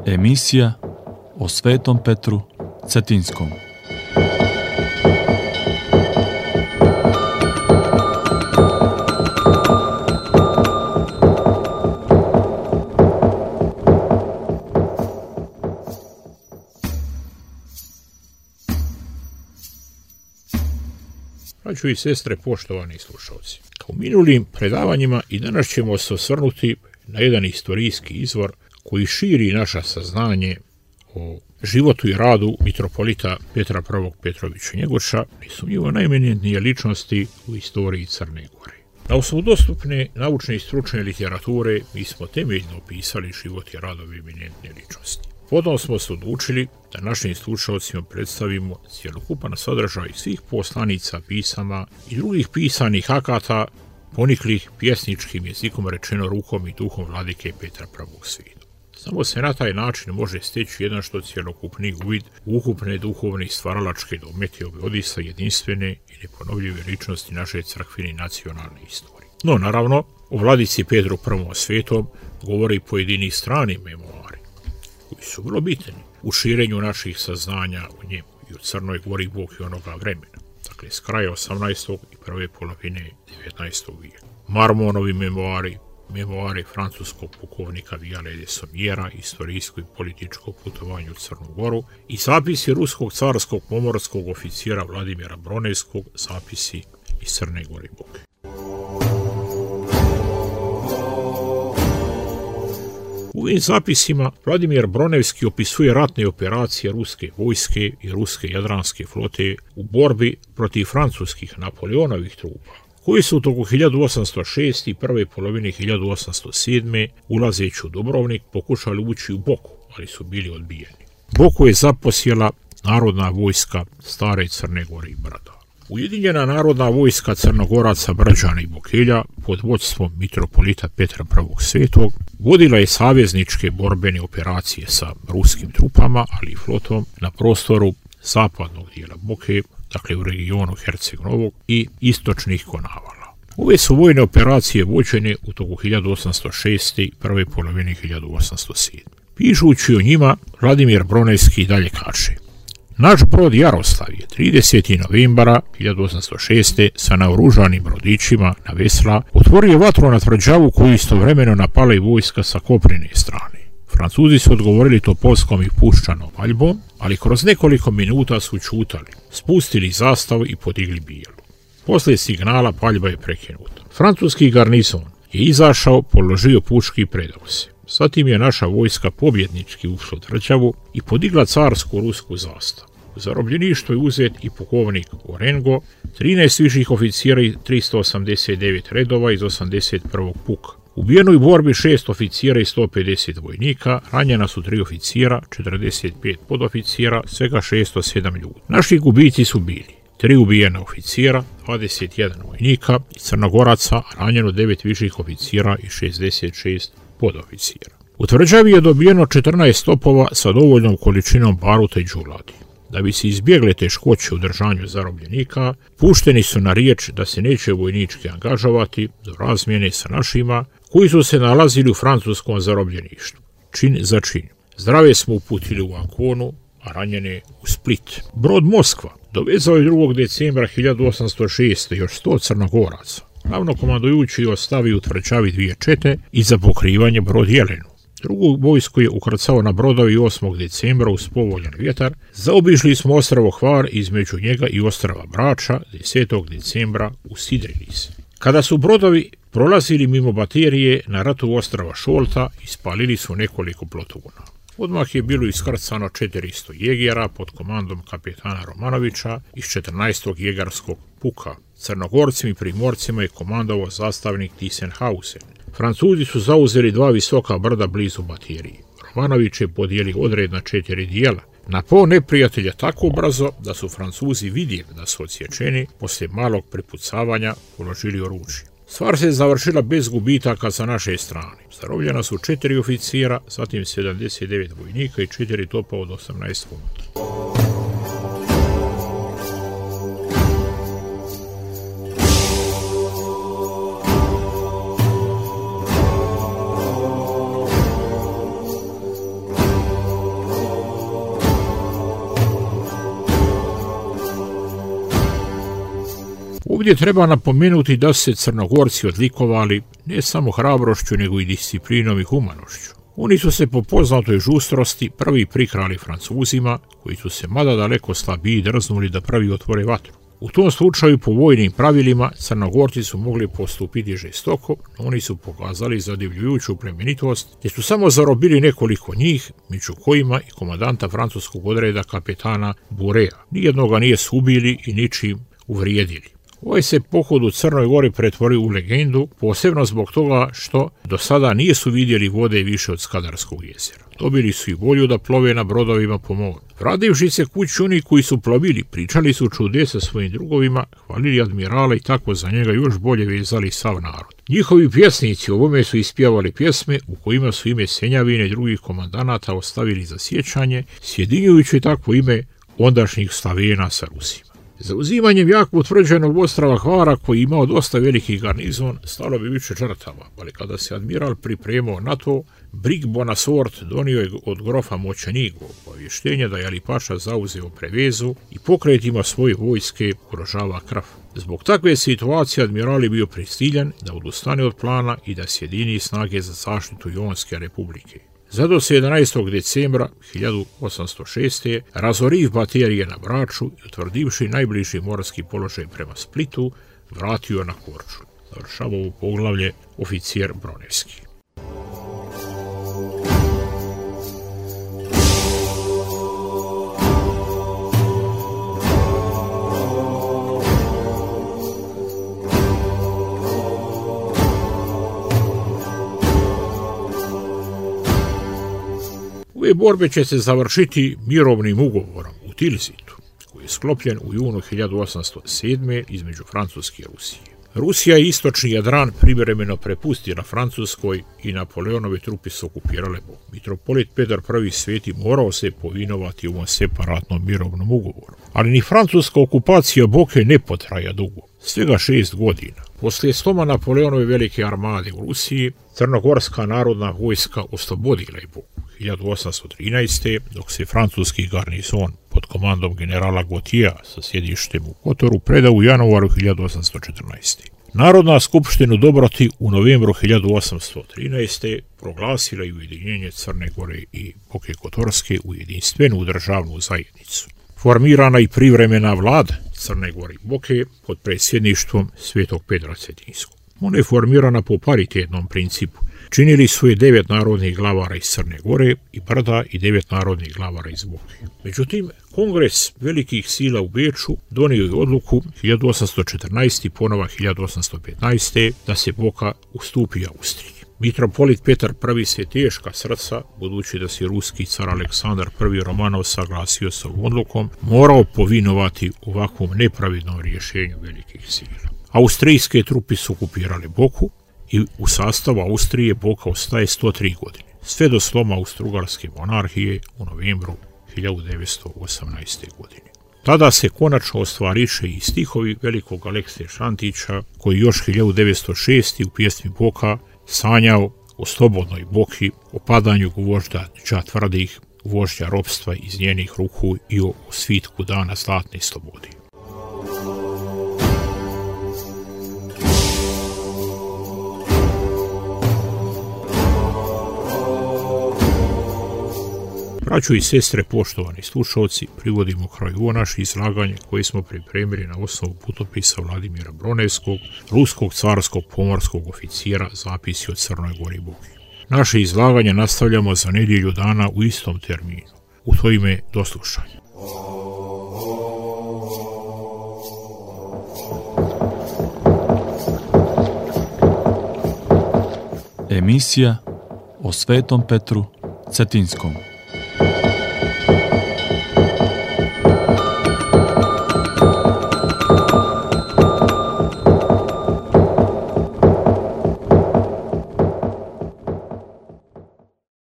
Emisija o Svetom Petru Cetinskom. Braćo i sestre, poštovani slušalci, kao u minulim predavanjima i danas ćemo se osvrnuti na jedan istorijski izvor koji širi naše saznanje o životu i radu mitropolita Petra I. Petrovića Njegoša, nesumnjivo najeminentnije ličnosti u istoriji Crne Gore. Na osnovu dostupne naučne i stručne literature mi smo temeljno opisali život i rad ove eminentne ličnosti. Potom smo se odlučili da našim slušalcima predstavimo cjelokupan sadržaj svih poslanica, pisama i drugih pisanih akata poniklih pjesničkim jezikom rečeno rukom i duhom vladike Petra I. Svetog. Samo se na taj način može steći jedan što cjelokupni uvid u ukupne duhovne i stvaralačke domete ove odisa jedinstvene i neponovljive ličnosti naše crkvene nacionalne istorije. No, naravno, o vladici Petru I. Svetom govori pojedini strani memoari, koji su vrlo bitni u širenju naših saznanja o njemu i u Crnoj Gori Bog i onoga vremena, dakle s kraja 18. i prve polovine 19. vijeka. Marmonovi memoari francuskog pukovnika Viale de Sommiera, istorijsko i političko putovanje u Crnu Goru i zapisi ruskog carskog pomorskog oficira Vladimira Bronevskog, zapisi iz Crne Gore Boke. U ovim zapisima Vladimir Bronevski opisuje ratne operacije ruske vojske i ruske jadranske flote u borbi protiv francuskih Napoleonovih trupa, koji su u toku 1806. i prve polovine 1807. ulazeći u Dubrovnik pokušali ući u Boku, ali su bili odbijeni. Boku je zaposjela narodna vojska stare Crne Gore i Brda. Ujedinjena narodna vojska Crnogoraca, Brđana i Bokelja pod vodstvom mitropolita Petra I. Svetog vodila je savezničke borbene operacije sa ruskim trupama, ali i flotom na prostoru zapadnog dijela Boke, dakle u regionu Herceg Novog i istočnih Konavala. Ove su vojne operacije vođene u toku 1806. i prve polovine 1807. Pišući o njima, Vladimir Bronevski dalje kaže: naš brod Jaroslav je 30. novembara 1806. sa naoružanim brodićima na vesla otvorio vatru na tvrđavu koju istovremeno napala i vojska sa kopnene strane. Francuzi su odgovorili topovskom i puščanom paljbom, ali kroz nekoliko minuta su ćutali, spustili zastavu i podigli bijelu. Posle signala paljba je prekinuta. Francuski garnizon je izašao, položio puške i predao se. Zatim je naša vojska pobjednički ušla u tvrđavu i podigla carsku rusku zastavu. U zarobljeništvo je uzet i pukovnik Orengo, 13 viših oficijera i 389 redova iz 81. puka. Ubijeno je u borbi 6 oficijera i 150 vojnika, ranjena su 3 oficijera, 45 podoficijera, svega 607 ljudi. Naši gubici su bili 3 ubijena oficijera, 21 vojnika i Crnogoraca, ranjeno 9 viših oficijera i 66 podoficijera. U tvrđavi je dobijeno 14 topova sa dovoljnom količinom baruta i đuladi. Da bi se izbjegle teškoće u držanju zarobljenika, pušteni su na riječ da se neće vojnički angažovati do razmjene sa našima koji su se nalazili u francuskom zarobljeništvu, čin za čin. Zdrave smo uputili u Anconu, a ranjene u Split. Brod Moskva dovezao je 2. decembra 1806. još 100 Crnogoraca. Glavnokomandujući je ostavio u tvrđavi 2 čete i za pokrivanje brod Jelenu. Drugo vojsko je ukrcao na brodovi 8. decembra uz povoljan vjetar. Zaobišli smo ostrvo Hvar, između njega i ostrva Brača 10. decembra usidrili se. Kada su brodovi prolazili mimo baterije na ratu ostrva Šolta, ispalili su nekoliko plotuna. Odmah je bilo iskrcano 400 jegera pod komandom kapetana Romanovića iz 14. jegarskog puka. Crnogorcima i primorcima je komandovao zastavnik Tisenhausen. Francuzi su zauzeli 2 visoka brda blizu baterije. Romanović je podijelio odred na 4 dijela. Napao neprijatelja tako brzo da su Francuzi vidjeli da su odsječeni, poslije malog prepucavanja položili oružje. Stvar se završila bez gubitaka sa naše strane. Zarobljena su 4 oficira, zatim 79 vojnika i 4 topa od 18 funta. Ovdje treba napomenuti da su se Crnogorci odlikovali ne samo hrabrošću, nego i disciplinom i humanošću. Oni su se po poznatoj žustrosti prvi prikrali Francuzima, koji su se mada daleko slabiji drznuli da prvi otvore vatru. U tom slučaju, po vojnim pravilima, Crnogorci su mogli postupiti žestoko, no oni su pokazali zadivljujuću plemenitost, te su samo zarobili nekoliko njih, među kojima i komandanta francuskog odreda kapetana Burea. Nijednoga nije ubili i ničim uvrijedili. Ovaj se pohod u Crnoj Gori pretvorio u legendu, posebno zbog toga što do sada nisu vidjeli vode više od Skadarskog jezera. Dobili su i volju da plove na brodovima po moru. Vrativši se kući oni koji su plovili, pričali su čudesa svojim drugovima, hvalili admirala i tako za njega još bolje vezali sav narod. Njihovi pjesnici ovome su ispjevali pjesme u kojima su ime Senjavine i drugih komandanata ostavili za sjećanje, sjedinjujući tako ime ondašnjih Slavena sa Rusima. Zauzimanjem jako utvrđenog ostrava Hvara, koji imao dosta veliki garnizon, stalo bi više žrtava, ali kada se admiral pripremao na to, Brig Bonasort donio je od grofa Moćanigo obavještenje da je Ali Paša zauzeo Prevezu i pokretima svoje vojske ugrožava Krf. Zbog takve situacije admiral je bio prisiljen da odustane od plana i da sjedini snage za zaštitu Jonske republike. Zato se 11. decembra 1806. razoriv baterije na Braču i utvrdivši najbliži morski položaj prema Splitu, vratio na Korčulu. Završava ovo poglavlje oficijer Bronevski. Ove borbe će se završiti mirovnim ugovorom u Tilzitu, koji je sklopljen u junu 1807. između Francuske i Rusije. Rusija i istočni Jadran privremeno prepustila Francuskoj i Napoleonove trupe su okupirale Bok. Mitropolit Petar I. Sveti morao se povinovati u ovom separatnom mirovnom ugovoru. Ali ni francuska okupacija Boke ne potraja dugo, svega 6 godina. Poslije sloma Napoleonove velike armade u Rusiji, Crnogorska narodna vojska oslobodila je Boku 1813. dok se francuski garnizon pod komandom generala Gautiera sa sjedištem u Kotoru predao u januaru 1814. Narodna skupština dobroti u novembru 1813. proglasila je ujedinjenje Crne Gore i Boke Kotorske u jedinstvenu državnu zajednicu. Formirana i privremena vlada Crne Gore i Boke pod predsjedništvom Svetog Petra Cetinskog. Ona je formirana po paritetnom principu. Činili su je 9 narodnih glavara iz Crne Gore i Brda i 9 narodnih glavara iz Boke. Međutim, Kongres velikih sila u Beču donio je odluku 1814. ponova 1815. da se Boka ustupi Austriji. Mitropolit Petar I. se teška srca, budući da se ruski car Aleksandar I. Romanov saglasio sa odlukom, morao povinovati ovakvom nepravidnom rješenju velikih sila. Austrijske trupe su okupirale Boku i u sastavu Austrije Boka ostaje 103 godine, sve do sloma Austrougarske monarhije u novembru 1918. godine. Tada se konačno ostvariše i stihovi velikog Alekse Šantića, koji još 1906. u pjesmi Boka sanjao o slobodnoj Boki, o padanju gvožda tvrdih, vožđa ropstva iz njenih ruku i o svitku dana zlatne slobode. Braćo i sestre, poštovani slušalci, privodimo kraju ovo naše izlaganje koje smo pripremili na osnovu putopisa Vladimira Bronevskog, ruskog carskog pomorskog oficijera, zapisi o Crnoj Gori i Boki. Naše izlaganje nastavljamo za nedjelju dana u istom terminu. U to ime, do slušanja. Emisija o Svetom Petru Cetinskom.